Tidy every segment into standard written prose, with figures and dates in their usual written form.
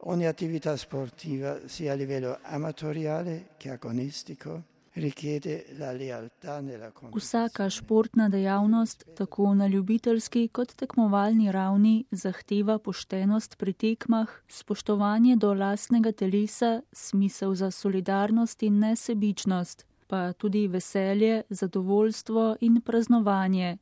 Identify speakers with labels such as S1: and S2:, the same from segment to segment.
S1: Ogni attività sportiva, sia a livello amatoriale che agonistico, richiede la lealtà nella competizione.
S2: Vsaka športna dejavnost, tako na ljubiteljski kot tekmovalni ravni, zahteva poštenost pri tekmah, spoštovanje do lastnega telesa, smisel za solidarnost in nesebičnost, pa tudi veselje, zadovoljstvo in praznovanje.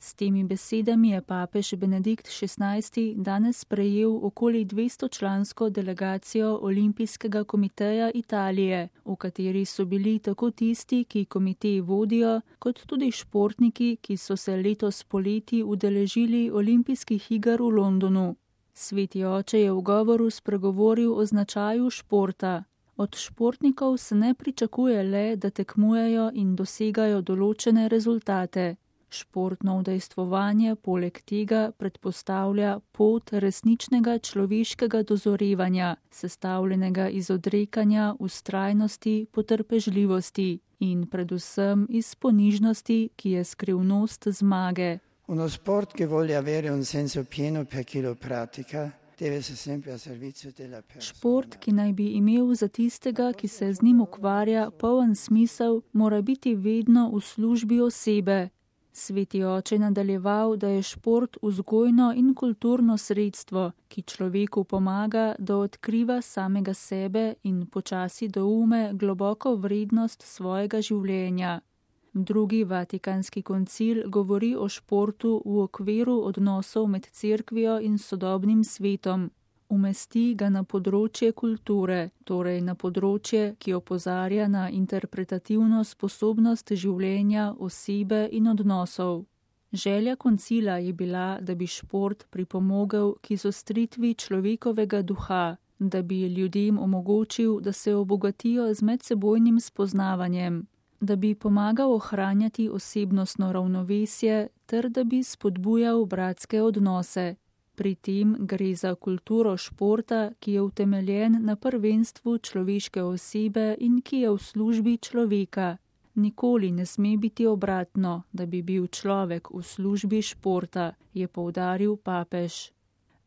S2: S temi besedami je papež Benedikt XVI danes sprejel okoli 200-člansko delegacijo Olimpijskega komiteja Italije, v kateri so bili tako tisti, ki komitej vodijo, kot tudi športniki, ki so se letos poleti udeležili olimpijskih iger v Londonu. Sveti oče je v govoru spregovoril o značaju športa. Od športnikov se ne pričakuje le, da tekmujejo in dosegajo določene rezultate. Športno udejstvovanje poleg tega predpostavlja pot resničnega človeškega dozorevanja, sestavljenega iz odrekanja, vztrajnosti, potrpežljivosti in predvsem iz ponižnosti, ki je skrivnost zmage.
S1: Uno sport che voglia avere un senso pieno per chi lo pratica, deve essere sempre a servizio della persona.
S2: Šport, ki naj bi imel za tistega, ki se z njim ukvarja, poln smisel, mora biti vedno v službi osebe. Sveti oče nadaljeval, da je šport vzgojno in kulturno sredstvo, ki človeku pomaga, da odkriva samega sebe in počasi doume globoko vrednost svojega življenja. Drugi Vatikanski koncil govori o športu v okviru odnosov med cerkvijo in sodobnim svetom. Umesti ga na področje kulture, torej na področje, ki opozarja na interpretativno sposobnost življenja, osebe in odnosov. Želja koncila je bila, da bi šport pripomogel k izostritvi človekovega duha, da bi ljudem omogočil, da se obogatijo z medsebojnim spoznavanjem, da bi pomagal ohranjati osebnostno ravnovesje ter da bi spodbujal bratske odnose. Pri tem gre za kulturo športa, ki je utemeljen na prvenstvu človeške osebe in ki je v službi človeka. Nikoli ne sme biti obratno, da bi bil človek v službi športa, je poudaril papež.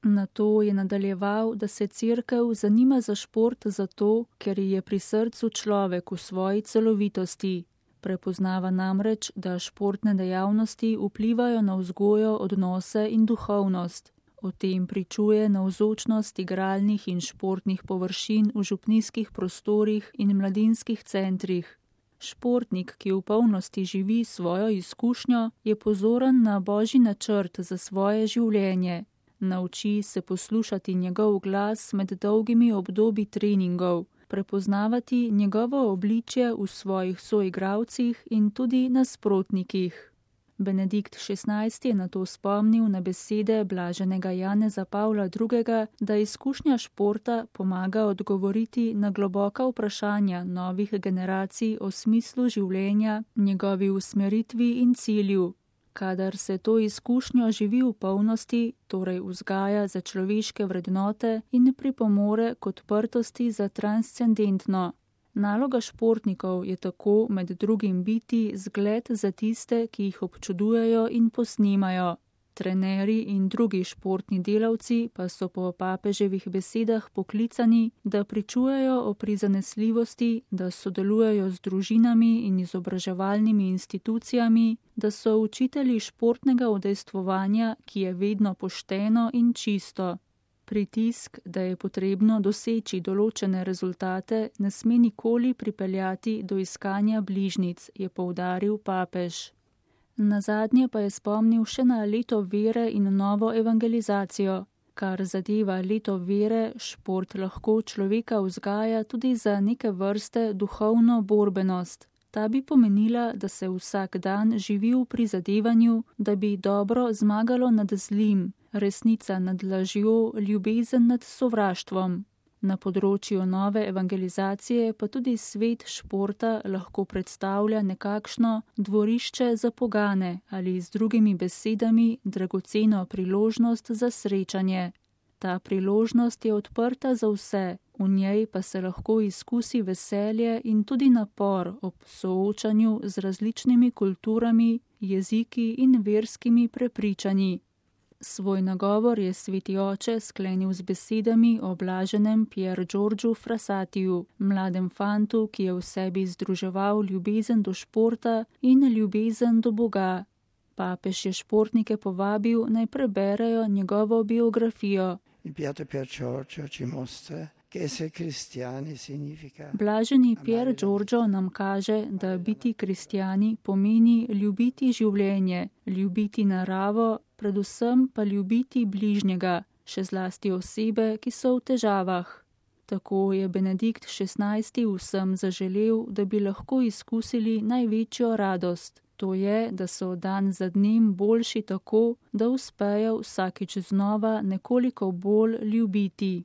S2: Nato je nadaljeval, da se cerkev zanima za šport zato, ker je pri srcu človek v svoji celovitosti. Prepoznava namreč, da športne dejavnosti vplivajo na vzgojo, odnose in duhovnost. O tem pričuje navzočnost igralnih in športnih površin v župnijskih prostorih in mladinskih centrih. Športnik, ki v polnosti živi svojo izkušnjo, je pozoren na Božji načrt za svoje življenje. Nauči se poslušati njegov glas med dolgimi obdobji treningov, prepoznavati njegovo obličje v svojih soigralcih in tudi nasprotnikih. Benedikt XVI je nato spomnil na besede blaženega Janeza Pavla II., da izkušnja športa pomaga odgovoriti na globoka vprašanja novih generacij o smislu življenja, njegovi usmeritvi in cilju. Kadar se to izkušnjo živi v polnosti, torej vzgaja za človeške vrednote in pripomore k odprtosti za transcendentno. Naloga športnikov je tako med drugim biti zgled za tiste, ki jih občudujejo in posnemajo. Trenerji in drugi športni delavci pa so po papeževih besedah poklicani, da pričujejo o prizanesljivosti, da sodelujejo z družinami in izobraževalnimi institucijami, da so učitelji športnega udejstvovanja, ki je vedno pošteno in čisto. Pritisk, da je potrebno doseči določene rezultate, ne sme nikoli pripeljati do iskanja bližnjic, je poudaril papež. Nazadnje pa je spomnil še na leto vere in novo evangelizacijo. Kar zadeva leto vere, šport lahko človeka vzgaja tudi za neke vrste duhovno borbenost. Ta bi pomenila, da se vsak dan živi v prizadevanju, da bi dobro zmagalo nad zlim, resnica nad lažjo, ljubezen nad sovraštvom. Na področju nove evangelizacije pa tudi svet športa lahko predstavlja nekakšno dvorišče za pogane ali z drugimi besedami dragoceno priložnost za srečanje. Ta priložnost je odprta za vse, v njej pa se lahko izkusi veselje in tudi napor ob soočanju z različnimi kulturami, jeziki in verskimi prepričanji. Svoj nagovor je sveti oče sklenil z besedami o blaženem Pier Giorgiu Frassatiju, mladem fantu, ki je v sebi združeval ljubezen do športa in ljubezen do Boga. Papež je športnike povabil, naj preberejo njegovo biografijo. Blaženi Pier Giorgio nam kaže, da biti kristjani pomeni ljubiti življenje, ljubiti naravo, predvsem pa ljubiti bližnjega, še zlasti osebe, ki so v težavah. Tako je Benedikt XVI. Vsem zaželel, da bi lahko izkusili največjo radost. To je, da so dan za dnem boljši tako, da uspejo vsakič znova nekoliko bolj ljubiti.